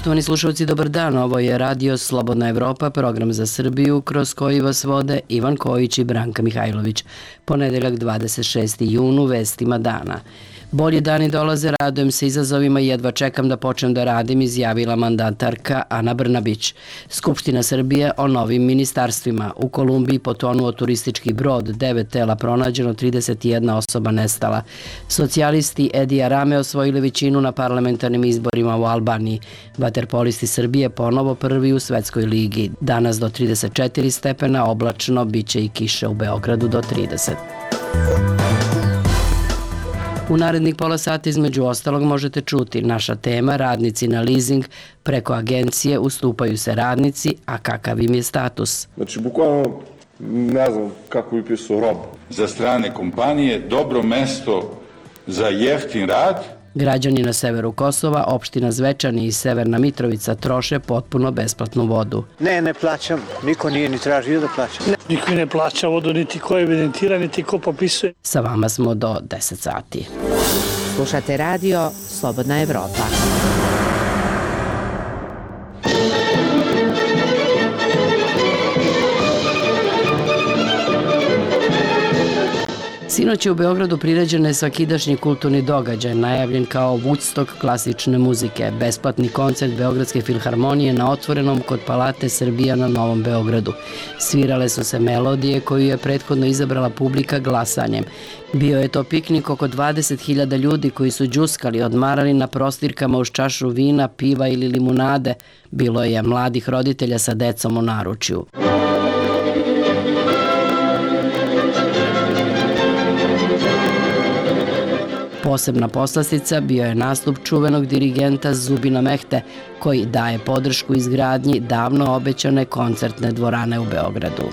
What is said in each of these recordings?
Poštovani slušalci, dobar dan. Ovo je Radio Slobodna Evropa, program za Srbiju, kroz koji vas vode Ivan Kojić i Branka Mihajlović. Ponedeljak 26. junu, vestima dana. Bolji dani dolaze, radujem se izazovima i jedva čekam da počnem da radim, izjavila mandatarka Ana Brnabić. Skupština Srbije o novim ministarstvima. U Kolumbiji potonuo turistički brod, 9 tela pronađeno, 31 osoba nestala. Socijalisti Edija Rame osvojili većinu na parlamentarnim izborima u Albaniji. Vaterpolisti Srbije ponovo prvi u Svetskoj ligi. Danas do 34 stepena, oblačno, bit će i kiše u Beogradu do 30. U narednih pola sata između ostalog možete čuti naša tema radnici na leasing, preko agencije ustupaju se radnici, a kakav im je status. Znači, bukvalno ne znam kako bi pisao rob. Za strane kompanije dobro mesto za jeftin rad. Građani na severu Kosova, opština Zvečani i Severna Mitrovica troše potpuno besplatnu vodu. Ne plaćam. Niko nije ni tražio da plaća. Niko ne plaća vodu, niti ko evidentira, niti ko popisuje. Sa vama smo do 10 sati. Slušate radio Slobodna Evropa. Sinoć je u Beogradu priređen svakidašnji kulturni događaj, najavljen kao Woodstock klasične muzike, besplatni koncert Beogradske filharmonije na otvorenom kod Palate Srbija na Novom Beogradu. Svirale su se melodije koju je prethodno izabrala publika glasanjem. Bio je to piknik oko 20.000 ljudi koji su đuskali, odmarali na prostirkama uz čašu vina, piva ili limunade. Bilo je mladih roditelja sa decom u naručju. Posebna poslastica bio je nastup čuvenog dirigenta Zubina Mehte, koji daje podršku izgradnji davno obećane koncertne dvorane u Beogradu.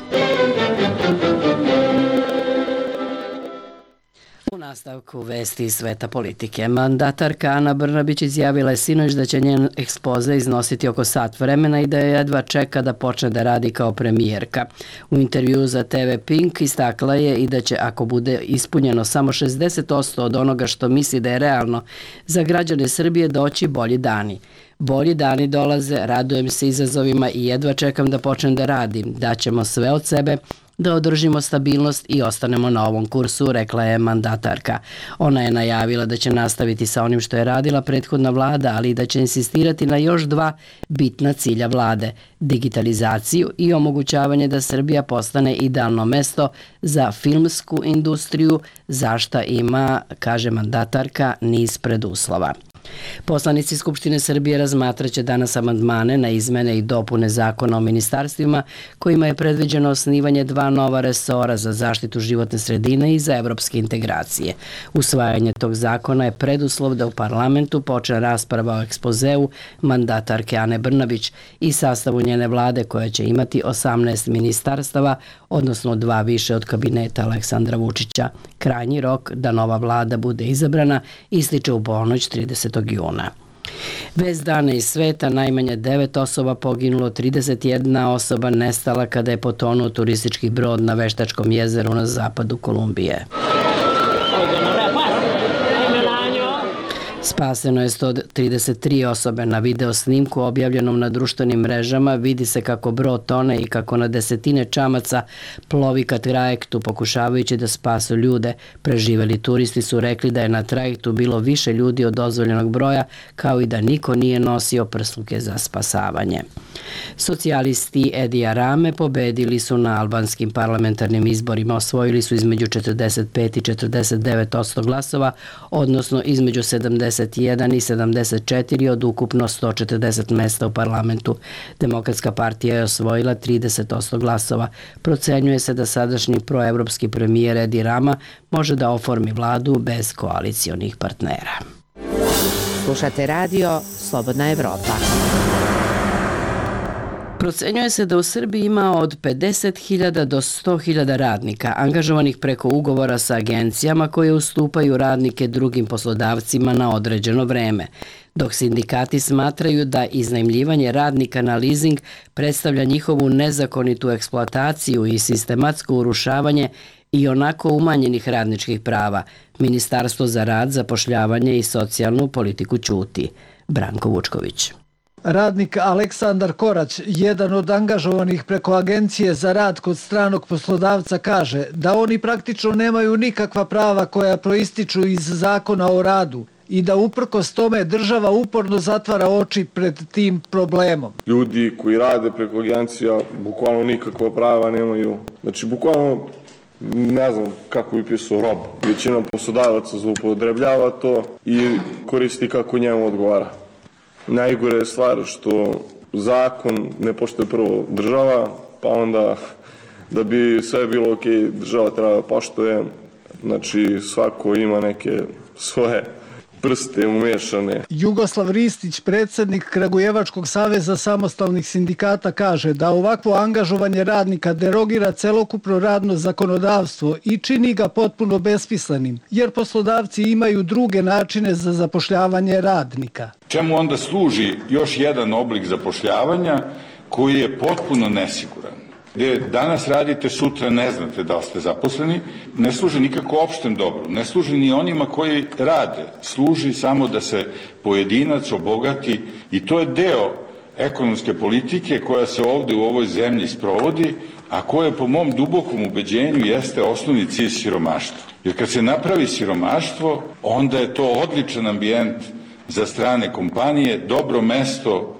U nastavku vesti iz sveta politike. Mandatarka Ana Brnabić izjavila je sinoć da će njen ekspoze iznositi oko sat vremena i da je jedva čeka da počne da radi kao premijerka. U intervjuu za TV Pink istakla je i da će, ako bude ispunjeno samo 60% od onoga što misli da je realno, za građane Srbije doći bolji dani. Bolji dani dolaze, radujem se izazovima i jedva čekam da počnem da radim. Daćemo sve od sebe da održimo stabilnost i ostanemo na ovom kursu, rekla je mandatarka. Ona je najavila da će nastaviti sa onim što je radila prethodna vlada, ali i da će insistirati na još dva bitna cilja vlade: digitalizaciju i omogućavanje da Srbija postane idealno mesto za filmsku industriju, za šta ima, kaže mandatarka, niz preduslova. Poslanici Skupštine Srbije razmatraće danas amandmane na izmene i dopune Zakona o ministarstvima, kojima je predviđeno osnivanje dva nova resora za zaštitu životne sredine i za evropske integracije. Usvajanje tog zakona je preduslov da u parlamentu počne rasprava o ekspozeu mandatarke Ane Brnabić i sastavu njene vlade, koja će imati 18 ministarstava, odnosno 2 više od kabineta Aleksandra Vučića. Krajnji rok da nova vlada bude izabrana ističe u ponoć 30. juna. Vest dana iz sveta: najmanje 9 osoba poginulo, 31 osoba nestala kada je potonuo turistički brod na Veštačkom jezeru na zapadu Kolumbije. Spaseno je 133 osobe. Na video snimku objavljenom na društvenim mrežama vidi se kako brod tone i kako na desetine čamaca plovi ka trajektu pokušavajući da spasu ljude. Preživeli turisti su rekli da je na trajektu bilo više ljudi od dozvoljenog broja, kao i da niko nije nosio prsluke za spasavanje. Socijalisti Edija Rame pobedili su na albanskim parlamentarnim izborima. Osvojili su između 45 i 49% glasova, odnosno između 71 i 74 od ukupno 140 mesta u parlamentu. Demokratska partija je osvojila 30% glasova. Procenjuje se da sadašnji proevropski premijer Edi Rama može da oformi vladu bez koalicionih partnera. Slušate radio Slobodna Evropa. Procenjuje se da u Srbiji ima od 50.000 do 100.000 radnika angažovanih preko ugovora sa agencijama koje ustupaju radnike drugim poslodavcima na određeno vreme, dok sindikati smatraju da iznajmljivanje radnika na leasing predstavlja njihovu nezakonitu eksploataciju i sistematsko urušavanje i onako umanjenih radničkih prava. Ministarstvo za rad, zapošljavanje i socijalnu politiku ćuti. Branko Vučković. Radnik Aleksandar Korać, jedan od angažovanih preko Agencije za rad kod stranog poslodavca, kaže da oni praktično nemaju nikakva prava koja proističu iz zakona o radu i da uprkos tome država uporno zatvara oči pred tim problemom. Ljudi koji rade preko agencija bukvalno nikakva prava nemaju. Znači, bukvalno ne znam kako bi pisao rob. Većina poslodavaca zloupotrebljava to i koristi kako njemu odgovara. Najgore je stvar što zakon ne poštuje prvo država, pa onda da bi sve bilo ok, država treba da poštuje. Znači, svako ima neke svoje prste umešane. Jugoslav Ristić, predsjednik Kragujevačkog saveza samostalnih sindikata, kaže da ovakvo angažovanje radnika derogira celokupno radno zakonodavstvo i čini ga potpuno besmislenim, jer poslodavci imaju druge načine za zapošljavanje radnika. Čemu onda služi još jedan oblik zapošljavanja koji je potpuno nesiguran? Gde danas radite, sutra ne znate da li ste zaposleni, ne služi nikako opštem dobru, ne služi ni onima koji rade, služi samo da se pojedinac obogati i to je deo ekonomske politike koja se ovde u ovoj zemlji sprovodi, a koja po mom dubokom ubeđenju jeste osnovni cilj siromaštva. Jer kad se napravi siromaštvo, onda je to odličan ambijent za strane kompanije, dobro mesto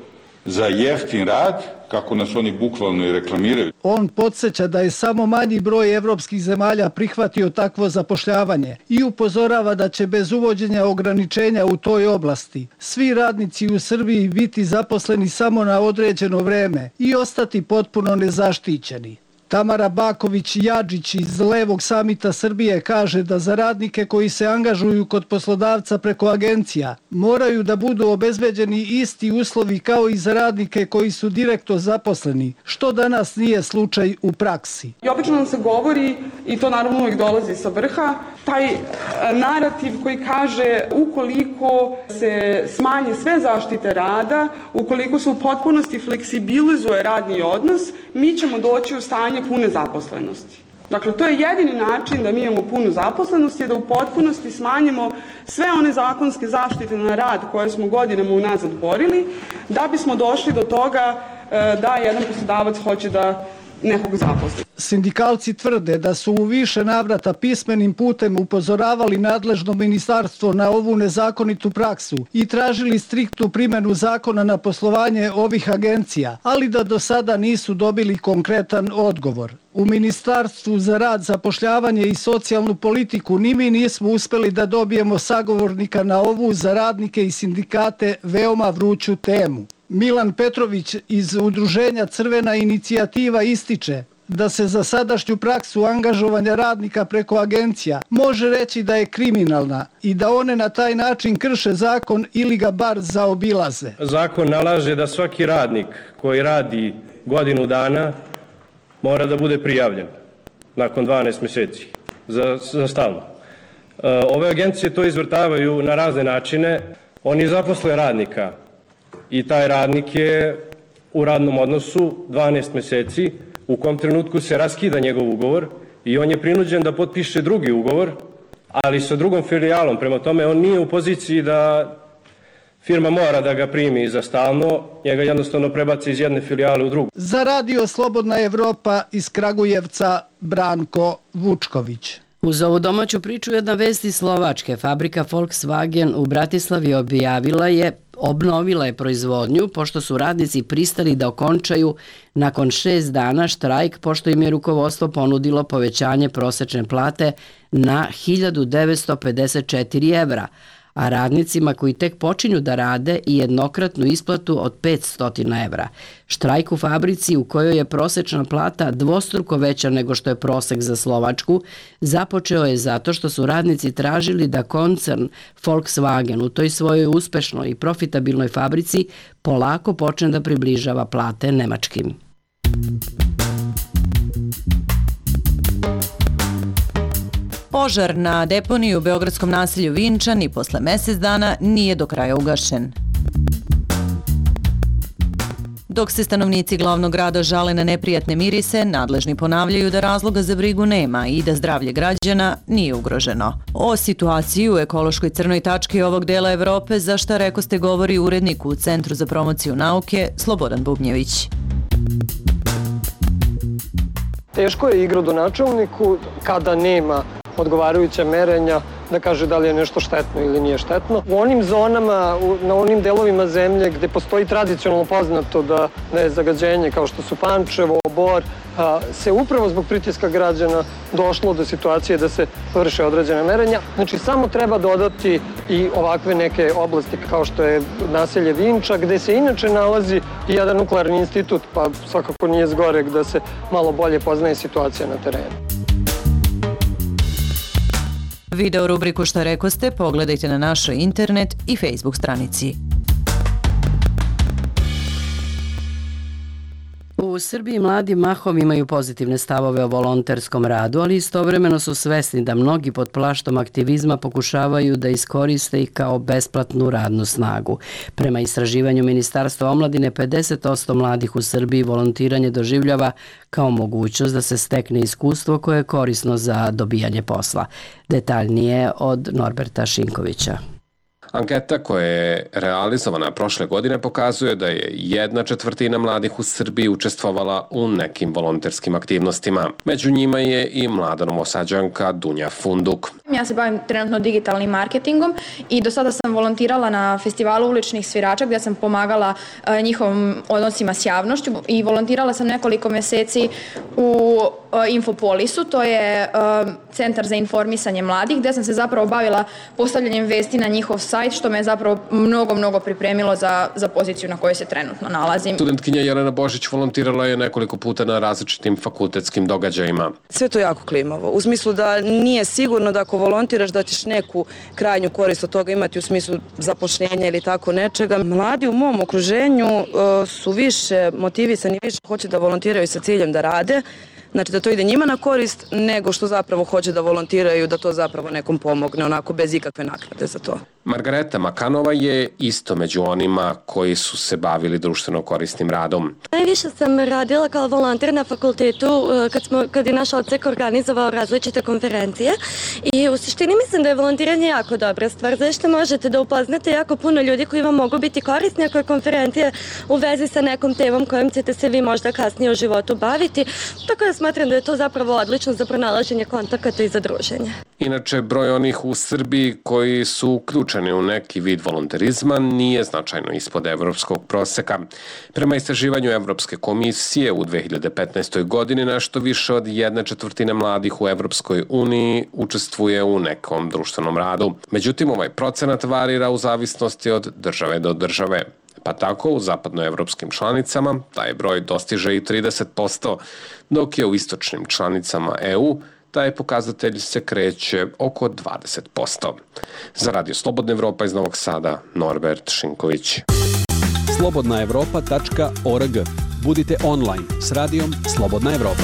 za jeftin rad, kako nas oni bukvalno i reklamiraju. On podsjeća da je samo manji broj evropskih zemalja prihvatio takvo zapošljavanje i upozorava da će bez uvođenja ograničenja u toj oblasti svi radnici u Srbiji biti zaposleni samo na određeno vreme i ostati potpuno nezaštićeni. Tamara Baković-Jadžić iz Levog samita Srbije kaže da za radnike koji se angažuju kod poslodavca preko agencija moraju da budu obezbeđeni isti uslovi kao i za radnike koji su direktno zaposleni, što danas nije slučaj u praksi. I obično nam se govori, i to naravno uvijek dolazi sa vrha, taj narativ koji kaže ukoliko se smanje sve zaštite rada, ukoliko se u potpunosti fleksibilizuje radni odnos, mi ćemo doći u stanje pune zaposlenosti. Dakle, to je jedini način da mi imamo punu zaposlenost i da u potpunosti smanjimo sve one zakonske zaštite na rad koje smo godinama unazad borili, da bismo došli do toga da jedan poslodavac hoće da nekog zaposli. Sindikalci tvrde da su u više navrata pismenim putem upozoravali nadležno ministarstvo na ovu nezakonitu praksu i tražili striktnu primjenu zakona na poslovanje ovih agencija, ali da do sada nisu dobili konkretan odgovor. U Ministarstvu za rad, zapošljavanje i socijalnu politiku ni mi nismo uspeli da dobijemo sagovornika na ovu za radnike i sindikate veoma vruću temu. Milan Petrović iz udruženja Crvena inicijativa ističe da se za sadašnju praksu angažovanja radnika preko agencija može reći da je kriminalna i da one na taj način krše zakon ili ga bar zaobilaze. Zakon nalaže da svaki radnik koji radi godinu dana mora da bude prijavljen nakon 12 mjeseci za stalno. Ove agencije to izvrtavaju na razne načine. Oni zaposle radnika i taj radnik je u radnom odnosu 12 mjeseci, u kom trenutku se raskida njegov ugovor i on je prinuđen da potpiše drugi ugovor, ali sa drugom filijalom. Prema tome, on nije u poziciji da firma mora da ga primi za stalno, njega jednostavno prebaci iz jedne filijale u drugu. Za Radio Slobodna Evropa iz Kragujevca, Branko Vučković. Uz ovu domaću priču jedna vest iz Slovačke. Fabrika Volkswagen u Bratislavi obnovila je proizvodnju pošto su radnici pristali da okončaju nakon 6 dana štrajk pošto im je rukovodstvo ponudilo povećanje prosečne plate na 1954 evra, a radnicima koji tek počinju da rade i jednokratnu isplatu od 500 evra. Štrajk u fabrici u kojoj je prosečna plata dvostruko veća nego što je prosek za Slovačku započeo je zato što su radnici tražili da koncern Volkswagen u toj svojoj uspešnoj i profitabilnoj fabrici polako počne da približava plate nemačkim. Požar na deponiji u beogradskom naselju Vinčan i posle mjesec dana nije do kraja ugašen. Dok se stanovnici glavnog grada žale na neprijatne mirise, nadležni ponavljaju da razloga za brigu nema i da zdravlje građana nije ugroženo. O situaciji u ekološkoj crnoj tački ovog dela Evrope za Šta rekoste govori urednik u Centru za promociju nauke Slobodan Bubnjević. Teško je igradonačelniku kada nema odgovarajuća merenja da kaže da li je nešto štetno ili nije štetno. U onim zonama, na onim delovima zemlje gde postoji tradicionalno poznato da je zagađenje kao što su Pančevo, Bor, se upravo zbog pritiska građana došlo do situacije da se vrše određene merenja. Znači samo treba dodati i ovakve neke oblasti kao što je naselje Vinča, gde se inače nalazi i jedan nuklearni institut, pa svakako nije zgoreg da se malo bolje poznaje situacija na terenu. Video rubriku Šta rekoste pogledajte na našoj internet i Facebook stranici. U Srbiji mladi mahom imaju pozitivne stavove o volonterskom radu, ali istovremeno su svesni da mnogi pod plaštom aktivizma pokušavaju da iskoriste ih kao besplatnu radnu snagu. Prema istraživanju Ministarstva omladine, 50% mladih u Srbiji volontiranje doživljava kao mogućnost da se stekne iskustvo koje je korisno za dobijanje posla. Detaljnije od Norberta Šinkovića. Anketa koja je realizovana prošle godine pokazuje da je 1/4 mladih u Srbiji učestvovala u nekim volonterskim aktivnostima. Među njima je i mlada Novosađanka Dunja Funduk. Ja se bavim trenutno digitalnim marketingom i do sada sam volontirala na festivalu uličnih svirača gdje sam pomagala njihovim odnosima s javnošću i volontirala sam nekoliko meseci u Infopolisu, to je centar za informisanje mladih, gdje sam se zapravo bavila postavljanjem vesti na njihov sajt, što me zapravo mnogo pripremilo za poziciju na kojoj se trenutno nalazim. Studentkinja Jelena Božić volontirala je nekoliko puta na različitim fakultetskim događajima. Sve to jako klimavo, u smislu da nije sigurno da ako volontiraš da ćeš neku krajnju korist od toga imati u smislu zapošljenja ili tako nečega. Mladi u mom okruženju su više motivisani, više hoće da volontiraju sa ciljem da rade, znači da to ide njima na korist, nego što zapravo hoće da volontiraju, da to zapravo nekom pomogne, onako bez ikakve naknade za to. Margareta Makanova je isto među onima koji su se bavili društveno korisnim radom. Najviše sam radila kao volonter na fakultetu kad je naš odsek organizovao različite konferencije i u suštini mislim da je volontiranje jako dobra stvar, zašto možete da upoznate jako puno ljudi koji vam mogu biti korisni ako je konferencija u vezi sa nekom temom kojom ćete se vi možda kasnije u životu baviti, tako da smatram da je to zapravo odlično za pronalaženje kontakata i za druženje. Inače, broj onih u Srbiji koji su uključeni u neki vid volonterizma nije značajno ispod evropskog proseka. Prema istraživanju Evropske komisije u 2015. godini nešto više od 1/4 mladih u Evropskoj uniji učestvuje u nekom društvenom radu. Međutim, ovaj procenat varira u zavisnosti od države do države. Pa tako u zapadnoevropskim članicama taj broj dostiže i 30%, dok je u istočnim članicama EU taj pokazatelj se kreće oko 20%. Za Radio Slobodna Evropa iz Novog Sada, Norbert Šinković. slobodnaevropa.org. Budite online s radijom Slobodna Evropa.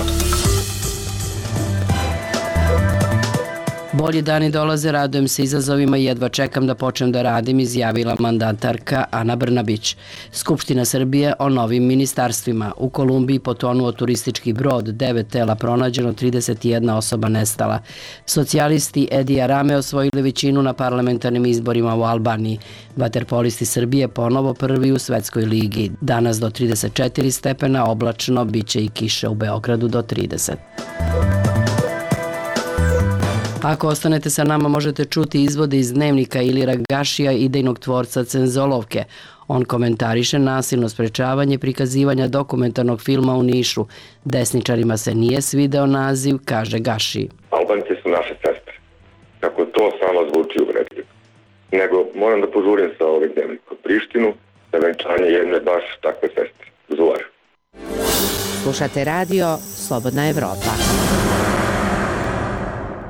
Bolji dani dolaze, radujem se izazovima i jedva čekam da počnem da radim, izjavila mandatarka Ana Brnabić. Skupština Srbije o novim ministarstvima. U Kolumbiji potonuo turistički brod, 9 tela pronađeno, 31 osoba nestala. Socijalisti Edi Arame osvojili većinu na parlamentarnim izborima u Albaniji. Vaterpolisti Srbije ponovo prvi u Svetskoj ligi. Danas do 34 stepena, oblačno, biće i kiše u Beogradu do 30. Ako ostanete sa nama, možete čuti izvode iz dnevnika Ilira Gašija, idejnog tvorca Cenzolovke. On komentariše nasilno sprečavanje prikazivanja dokumentarnog filma u Nišu. Desničarima se nije svideo naziv, kaže Gaši. Albanci su naše sestre. Kako to samo zvuči uvredljivo. Nego moram da požurim sa ovih dnevnika u Prištinu na venčanje jedne baš takve sestre. Zuvar. Slušate radio Slobodna Evropa.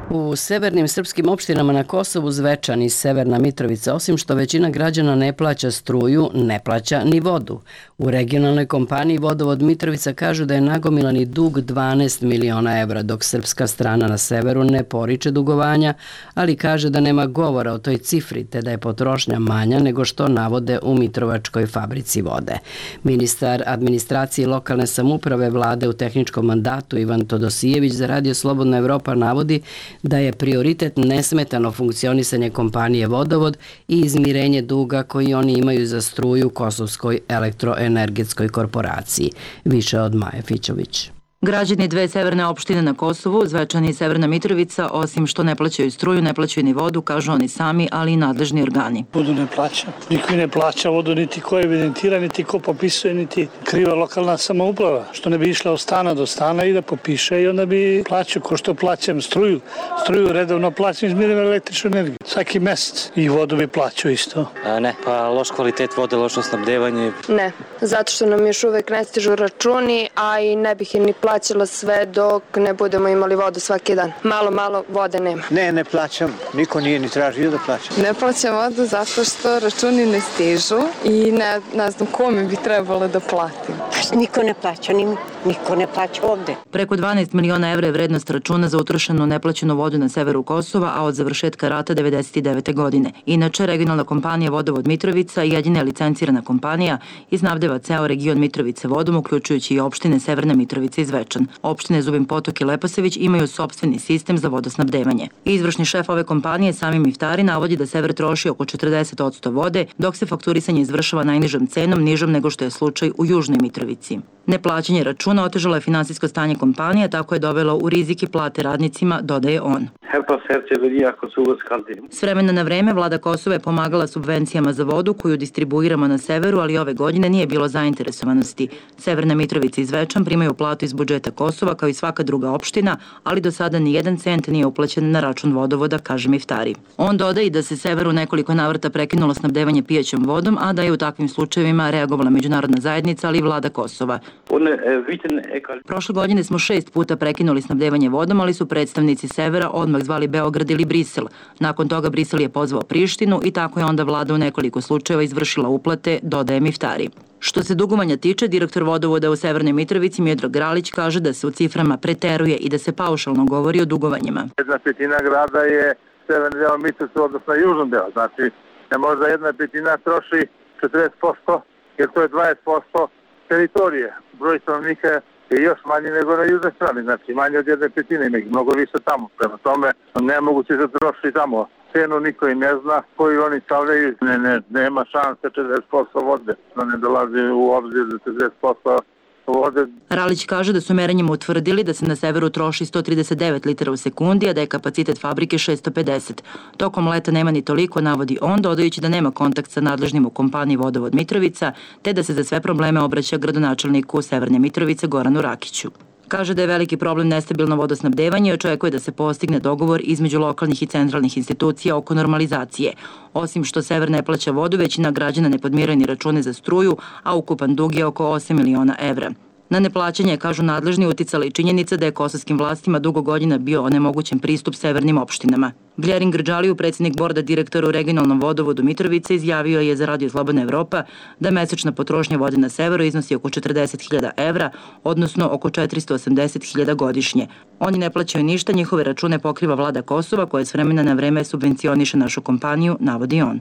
U severnim srpskim opštinama na Kosovu, Zvečan i Severna Mitrovica, osim što većina građana ne plaća struju, ne plaća ni vodu. U regionalnoj kompaniji Vodovod Mitrovica kažu da je nagomilani dug 12 miliona evra, dok srpska strana na severu ne poriče dugovanja, ali kaže da nema govora o toj cifri, te da je potrošnja manja nego što navode u Mitrovačkoj fabrici vode. Ministar administracije i lokalne samouprave vlade u tehničkom mandatu Ivan Todosijević za Radio Slobodna Evropa navodi da je prioritet nesmetano funkcionisanje kompanije Vodovod i izmirenje duga koji oni imaju za struju Kosovskoj elektroenergetskoj korporaciji. Više od Maje Fićović. Građani dve severne opštine na Kosovu, Zvečan i Severna Mitrovica, osim što ne plaćaju struju, ne plaćaju ni vodu, kažu oni sami, ali i nadležni organi. Vodu ne plaća. Niko ne plaća vodu, niti ko evidentira, niti ko popisuje, niti kriva lokalna samouprava. Što ne bi išla od stana do stana i da popiše i onda bi plaćao ko što plaćam struju. Struju redovno plaćam, izmirim električnu energiju. Svaki mesec. I vodu bi plaćao isto. Ne, pa loš kvalitet vode, lošo snabdevanje. Ne, zato što nam još uvek ne stižu računi, a i ne bih je ni plaćala sve dok ne budemo imali vodu svaki dan. Malo vode nema. Ne plaćam. Niko nije ni tražio da plaćam. Ne plaćam vodu zato što računi ne stižu i ne znam kome bi trebalo da platim. Niko ne plaća, niko ne plaća ovde. Preko 12 miliona evra je vrednost računa za utrošenu neplaćenu vodu na severu Kosova, a od završetka rata 1999. godine. Inače, regionalna kompanija Vodovod Mitrovica, jedina licencirana kompanija, iznabdeva ceo region Mitrovice vodom, uključujući i opštine Severna Mitrovica i Zvečan. Opštine Zubin Potok i Leposavić imaju sopstveni sistem za vodosnabdevanje. Izvršni šef ove kompanije, Sami Miftari, navodi da sever troši oko 40% vode, dok se fakturisanje izvršava najnižom cenom, nižom nego što je slučaj u Južnoj Mitrovici. Neplaćanje računa otežalo je finansijsko stanje kompanije, tako je dovelo u rizik i plate radnicima, dodaje on. S vremena na vreme vlada Kosova je pomagala subvencijama za vodu koju distribuiramo na severu, ali ove godine nije bilo zainteresovanosti. Severna Mitrovica i Zvečan primaju platu iz budžeta Kosova kao i svaka druga opština, ali do sada ni jedan cent nije uplaćen na račun vodovoda, kaže Miftari. On dodaje da se severu nekoliko navrata prekinulo snabdevanje pijećom vodom, a da je u takvim slučajevima reagovala međunarodna zajednica, ali i vlada Kosova. Prošle godine smo 6 puta prekinuli snabdevanje vodom, ali su predstavnici severa odmah zvali Beograd ili Brisel. Nakon toga Brisel je pozvao Prištinu i tako je onda vlada u nekoliko slučajeva izvršila uplate, dodaje Miftari. Što se dugovanja tiče, direktor vodovoda u Severnoj Mitrovici Miodrag Gralić kaže da se u ciframa preteruje i da se paušalno govori o dugovanjima. 1/5 grada je severni deo Mitrovice, odnosno južnom deo. Znači, možda 1/5 troši 40%, jer to je 20% teritorije. Broj stanovnika je još manji nego na južnoj strani, znači manje od 1/5, ima ih mnogo više tamo. Prema tome, nemoguće da troši tamo. Cenu niko i ne zna koju oni stavljaju. Nema šanse 40% vode, da ne dolazi u obzir da 40% vode. Ralić kaže da su merenjima utvrdili da se na severu troši 139 litara u sekundi, a da je kapacitet fabrike 650. Tokom leta nema ni toliko, navodi on, dodajući da nema kontakt sa nadležnim u kompaniji Vodovod Mitrovica, te da se za sve probleme obraća gradonačelniku Severne Mitrovice Goranu Rakiću. Kaže da je veliki problem nestabilno vodosnabdevanje i očekuje da se postigne dogovor između lokalnih i centralnih institucija oko normalizacije. Osim što sever ne plaća vodu, većina građana ne podmiruje ni račune za struju, a ukupan dug je oko 8 miliona evra. Na neplaćanje, kažu nadležni, uticala i činjenica da je kosovskim vlastima dugo godina bio onemogućen pristup severnim opštinama. Vljerin Grđaliju, predsjednik borda direktora u regionalnom vodovodu Mitrovice, izjavio je za Radio Slobodna Evropa da mesečna potrošnja vode na severu iznosi oko 40.000 evra, odnosno oko 480.000 godišnje. Oni ne plaćaju ništa, njihove račune pokriva vlada Kosova, koja s vremena na vreme subvencioniše našu kompaniju, navodi on.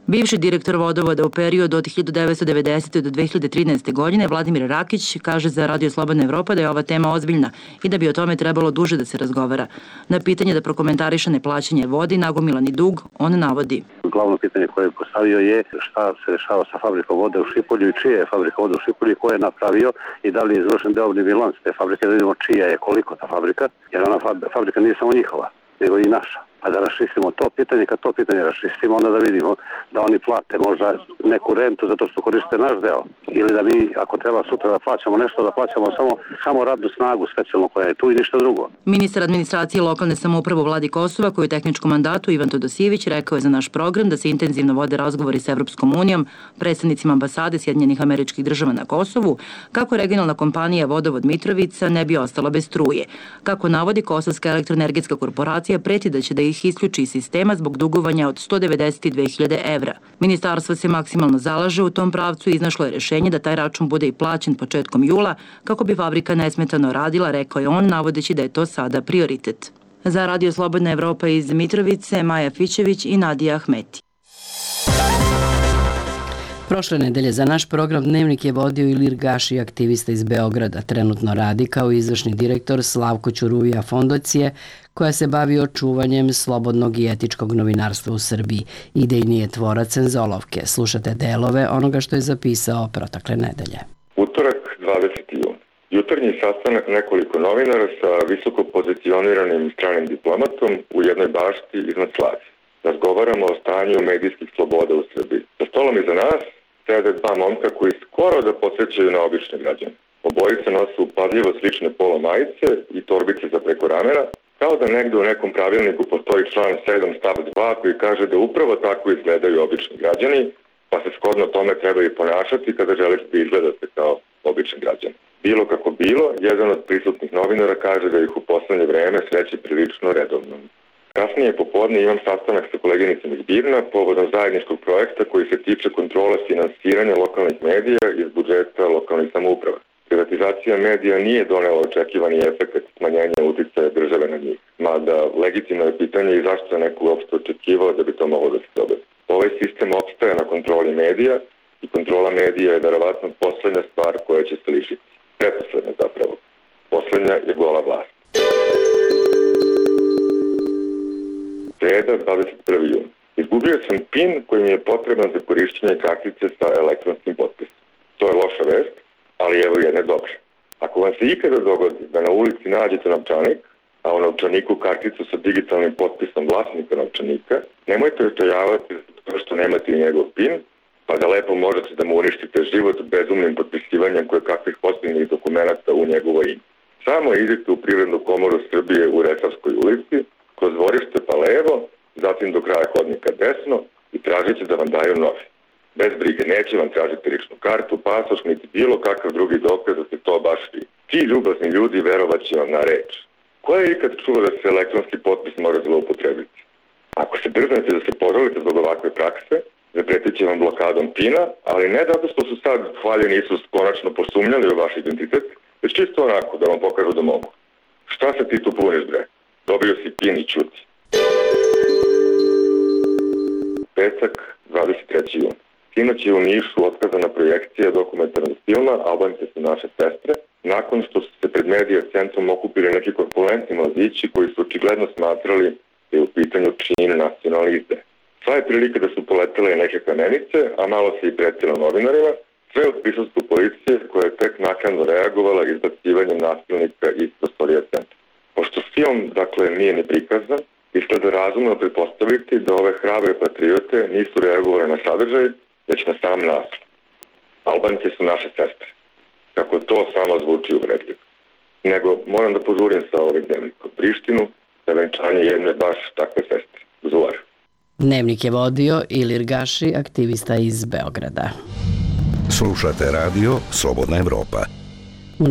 Bivši direktor vodovoda u periodu od 1990. do 2013. godine, Vladimir Rakić, kaže za Radio Slobodna Evropa da je ova tema ozbiljna i da bi o tome trebalo duže da se razgovara. Na pitanje da prokomentariše neplaćanje vodi, nagomilani dug, on navodi. Glavno pitanje koje je postavio je šta se dešava sa fabrikom vode u Šipolju i čija je fabrika vode u Šipolju, ko je napravio i da li je izvršen deobni bilans te fabrike, da vidimo čija je, koliko ta fabrika, jer ona fabrika nije samo njihova, nego i naša. a da raščistimo to pitanje. Kad to pitanje raščistimo, onda da vidimo da oni plate možda neku rentu zato što koriste naš deo. Ili da mi, ako treba sutra da plaćamo nešto, da plaćamo samo radnu snagu specijalno koja je tu i ništa drugo. Ministar administracije lokalne samouprave u vladi Kosova, koji je u tehničkom mandatu, Ivan Todosijević, rekao je za naš program da se intenzivno vode razgovori s Evropskom unijom, predstavnicima ambasade Sjedinjenih Američkih Država na Kosovu, kako regionalna kompanija Vodovod Mitrovica ne bi ostala bez struje. Kako navodi, Kosovska elektroenergetska korporacija preti da će da ih isključi iz sistema zbog dugovanja od 192.000 evra. Ministarstvo se maksimalno zalaže u tom pravcu i iznašlo je rešenje da taj račun bude i plaćen početkom jula kako bi fabrika nesmetano radila, rekao je on, navodeći da je to sada prioritet. Za Radio Slobodna Evropa iz Mitrovice, Maja Fićević i Nadija Ahmeti. Prošle nedelje za naš program Dnevnik je vodio Ilir Gaši, aktivista iz Beograda. Trenutno radi kao izvršni direktor Slavko Ćuruvija Fondacije, koja se bavi očuvanjem slobodnog i etičkog novinarstva u Srbiji. Idejni je tvorac Senzolovke. Slušate delove onoga što je zapisao protekle nedelje. Utorak, 20. jun. Jutarnji sastanak nekoliko novinara sa visoko pozicioniranim stranim diplomatom u jednoj bašti iznad Slavije. Razgovaramo o stanju medijskih sloboda u Srbiji. Za stolom iza nas sede dva momka koji skoro da podsjećaju na obične građane. Obojice nose upadljivo slične polo majice i torbice za preko ramena, kao da negde u nekom pravilniku postoji član 7 stav 2 koji kaže da upravo tako izgledaju obični građani, pa se shodno tome treba i ponašati kada želite da izgledate kao obični građani. Bilo kako bilo, jedan od prisutnih novinara kaže da ih u poslednje vreme sreće prilično redovno. Kasnije popodne imam sastanak sa koleginicom iz Birna povodom zajedničkog projekta koji se tiče kontrole finansiranja lokalnih medija iz budžeta lokalnih samouprava. Privatizacija medija nije donela očekivani efekt smanjenja uticaja države na njih, mada legitimno je pitanje i zašto je neko uopšte očekivao da bi to moglo da se dobiti. Ovaj sistem opstaje na kontroli medija i kontrola medija je verovatno poslednja stvar koja će se lišiti. Pretposlednja zapravo. Poslednja je gola vlast. Sreda, 21. jun. Izgubio sam PIN koji mi je potreban za korišćenje kartice sa elektronskim potpisom. To je loša vest, ali evo jedne dobre. Ako vam se ikada dogodi da na ulici nađete novčanik, a u novčaniku karticu sa digitalnim potpisom vlasnika novčanika, nemojte očajavati zato što nemate i njegov PIN, pa da lepo možete da mu uništite život bezumnim potpisivanjem koje kakvih posljednjih dokumenta u njegovo ime. Samo idite u Privrednu komoru Srbije u Resavskoj ulici, kroz dvorište pa levo, zatim do kraja hodnika desno i tražite da vam daju novi. Bez brige, neće vam tražiti ličnu kartu, pasoš, niti bilo kakav drugi dokaz da se to baš vi. Ti ljubazni ljudi verovat će vam na reč. Ko je ikad čuo da se elektronski potpis mora zloupotrebiti? Ako se drznete da se požalite zbog ovakve prakse, zapretit će vam blokadom PIN-a, ali ne zato što su sad hvaljeni Isus konačno posumnjali u vaš identitet, već čisto onako da vam pokažu da mogu. Šta se ti tu puniš, bre? Dobio si PIN i čuti. Petak, 23. jun. Sinoć je u Nišu otkazana projekcija dokumentarnog filma Albance su naše sestre, nakon što su se pred medija centrom okupili neki korpulentni mladići koji su očigledno smatrali da je u pitanju čin nacionalne izdaje. Sva je prilika da su poletele neke kamenice, a malo se i pretilo novinarima, sve od prisustvu policije koja je tek naknadno reagovala izbacivanjem nasilnika iz prostorija centra. Pošto film, dakle, nije ni prikazan, izgleda razumno pretpostaviti da ove hrabre patriote nisu reagovali na sadržaj, već na sam naslov. Albanci su naše sestre. Kako to samo zvuči uvredljivo. Nego moram da požurim sa ovim dnevnikom Prištinu za venčanje jedne baš takve sestre. Zuvar. Dnevnik je vodio Ilir Gaši, aktivista iz Beograda. Slušate radio Slobodna Evropa. U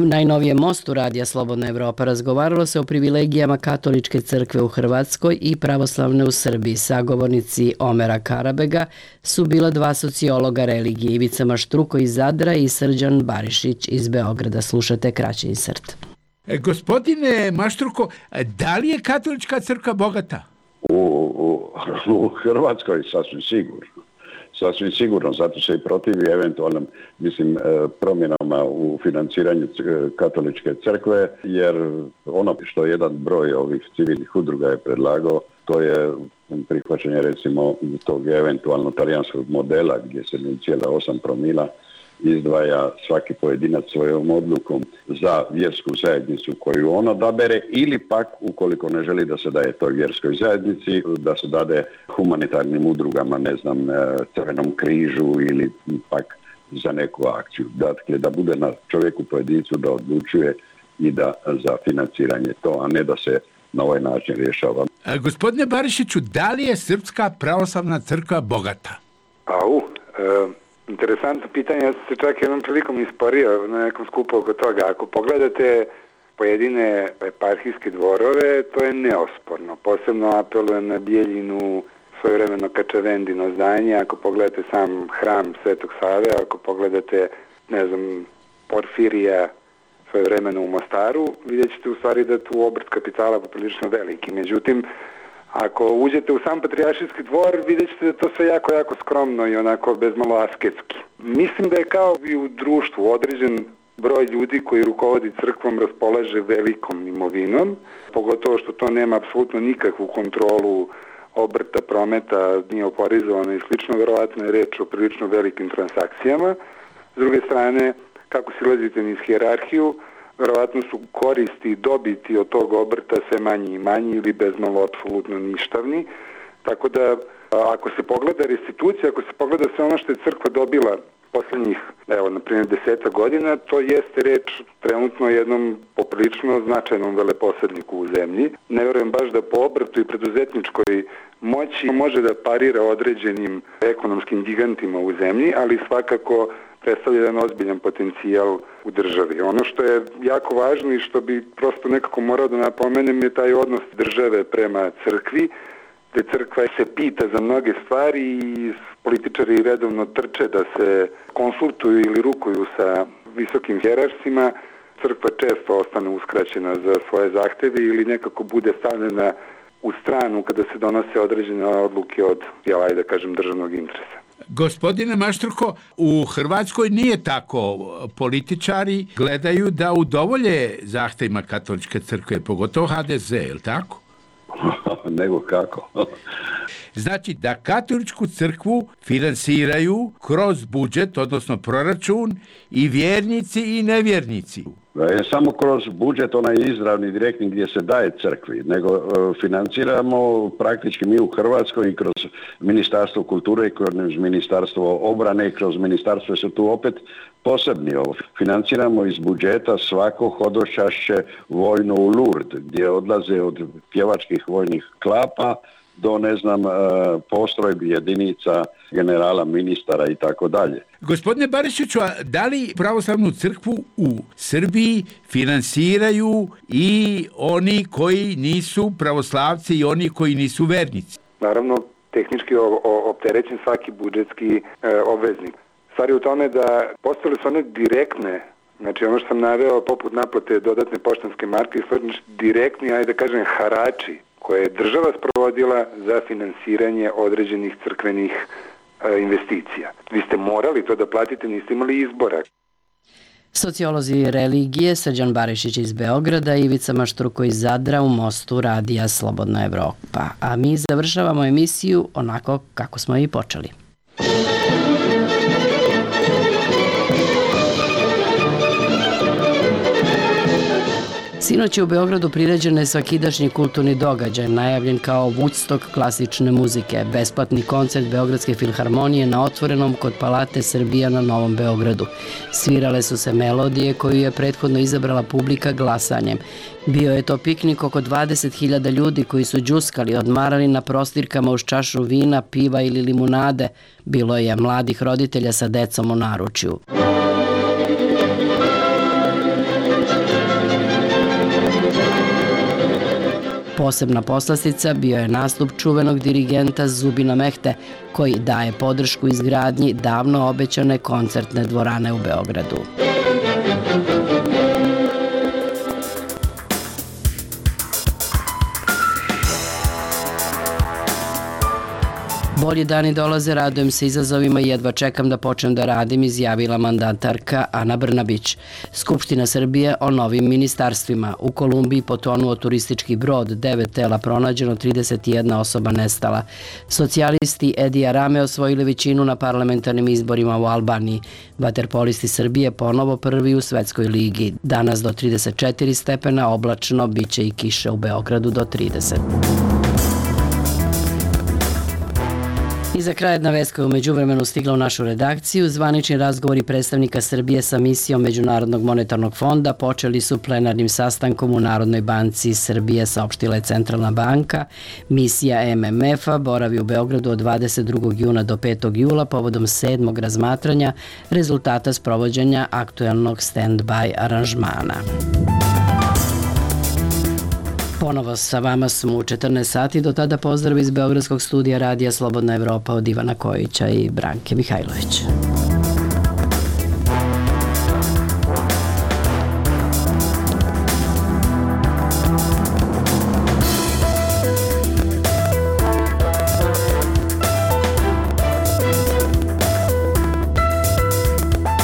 najnovijem mostu Radija Slobodna Evropa razgovaralo se o privilegijama Katoličke crkve u Hrvatskoj i pravoslavne u Srbiji. Sagovornici Omera Karabega su bila dva sociologa religije, Ivica Maštruko iz Zadra i Srđan Barišić iz Beograda. Slušate kraći insert. Gospodine Maštruko, da li je Katolička crkva bogata? U Hrvatskoj sasvim sigurno. Sasvim sigurno, zato se i protivi eventualnim, promjenama u financiranju Katoličke crkve, jer ono što jedan broj ovih civilnih udruga je predlagao, to je prihvaćanje recimo tog eventualno talijanskog modela gdje se 0,8 promila izdvaja svaki pojedinac svojom odlukom za vjersku zajednicu koju on odabere ili pak, ukoliko ne želi da se daje toj vjerskoj zajednici, da se dade humanitarnim udrugama, ne znam, Crvenom križu ili pak za neku akciju. Dakle, da bude na čovjeku pojedincu da odlučuje i da za financiranje to, a ne da se na ovaj način rješava. Gospodine Barišiću, da li je Srpska pravoslavna crkva bogata? Interesantno pitanje, ja sam se čak jednom prilikom isporio na nekom skupu oko toga. Ako pogledate pojedine eparhijske dvorove, to je neosporno. Posebno apelujem na Bijeljinu, svojevremeno Kačavendino zdanje, ako pogledate sam hram Svetog Save, ako pogledate, ne znam, Porfirija svojevremeno u Mostaru, vidjet ćete u stvari da tu obrt kapitala poprilično veliki. Međutim, ako uđete u sam Patrijaršijski dvor, vidjet ćete da to sve jako, jako skromno i onako bezmalo asketski. Mislim da je kao i u društvu određen broj ljudi koji rukovodi crkvom raspolaže velikom imovinom, pogotovo što to nema apsolutno nikakvu kontrolu obrta, prometa, nije oporizovano i slično, verovatno je reč o prilično velikim transakcijama. S druge strane, kako silazite niz hijerarhiju, verovatno su koristi i dobiti od tog obrta sve manji i manji ili bezmalo apsolutno ništavni. Tako da, ako se pogleda restitucija, ako se pogleda sve ono što je crkva dobila posljednjih, evo, na primjer 10 godina, to jeste reč trenutno jednom poprilično značajnom veleposedniku u zemlji. Ne vjerujem baš da po obrtu i preduzetničkoj moći može da parira određenim ekonomskim gigantima u zemlji, ali svakako predstavlja jedan ozbiljan potencijal u državi. Ono što je jako važno i što bi prosto nekako morao da napomenem je taj odnos države prema crkvi, gde crkva se pita za mnoge stvari i političari redovno trče da se konsultuju ili rukuju sa visokim hierarhima. Crkva često ostane uskraćena za svoje zahteve ili nekako bude stavljena u stranu kada se donose određene odluke od, da kažem, državnog interesa. Gospodine Maštruko, u Hrvatskoj nije tako. Političari gledaju da udovolje zahtevima katoličke crkve, pogotovo HDZ, je li tako? Nego kako? Znači da katoličku crkvu finansiraju kroz budžet, odnosno proračun, i vjernici i nevjernici. Je samo kroz budžet, onaj izravni, direktni gdje se daje crkvi, nego financiramo praktički mi u Hrvatskoj i kroz Ministarstvo kulture i kroz Ministarstvo obrane i kroz Ministarstvo su tu opet posebni. Financiramo iz budžeta svako hodočašće vojno u Lourdes, gdje odlaze od pjevačkih vojnih klapa do, ne znam, postrojbi, jedinica, generala, ministara i tako dalje. Gospodine Barišiću, a da li pravoslavnu crkvu u Srbiji finansiraju i oni koji nisu pravoslavci i oni koji nisu vernici? Naravno, tehnički opterećen svaki budžetski obveznik. Stvar je u tome da postale su one direktne, znači ono što sam naveo poput naplate dodatne poštanske marke, direktni, ajde da kažem, harači koje je država sprovodila za finansiranje određenih crkvenih investicija. Vi ste morali to da platite, niste imali izbora. Sociolozi religije Srđan Barišić iz Beograda i Ivica Maštruko iz Zadra u Mostu radija Slobodna Evropa. A mi završavamo emisiju onako kako smo i počeli. Sinoć je u Beogradu priređen svakidašnji kulturni događaj, najavljen kao Woodstock klasične muzike, besplatni koncert Beogradske filharmonije na otvorenom kod Palate Srbija na Novom Beogradu. Svirale su se melodije koju je prethodno izabrala publika glasanjem. Bio je to piknik oko 20.000 ljudi koji su đuskali, odmarali na prostirkama uz čašu vina, piva ili limunade. Bilo je mladih roditelja sa decom u naručju. Posebna poslastica bio je nastup čuvenog dirigenta Zubina Mehte, koji daje podršku izgradnji davno obećane koncertne dvorane u Beogradu. Bolji dani dolaze, radujem se izazovima i jedva čekam da počnem da radim, izjavila mandatarka Ana Brnabić. Skupština Srbije o novim ministarstvima. U Kolumbiji potonuo turistički brod, 9 tela pronađeno, 31 osoba nestala. Socijalisti Edi Arame osvojili većinu na parlamentarnim izborima u Albaniji. Vaterpolisti Srbije ponovo prvi u Svetskoj ligi. Danas do 34 stepena, oblačno, biće i kiše u Beogradu do 30. I za kraj jedna vest koja je u međuvremenu stigla u našu redakciju. Zvanični razgovori predstavnika Srbije sa misijom Međunarodnog monetarnog fonda počeli su plenarnim sastankom u Narodnoj banci Srbije, saopštila je Centralna banka. Misija MMF-a boravi u Beogradu od 22. juna do 5. jula povodom 7. razmatranja rezultata sprovođenja aktuelnog stand-by aranžmana. Ponovo sa vama smo u 14 sati, do tada pozdrav iz Beogradskog studija Radija Slobodna Evropa od Ivana Kojića i Branke Mihajlovića.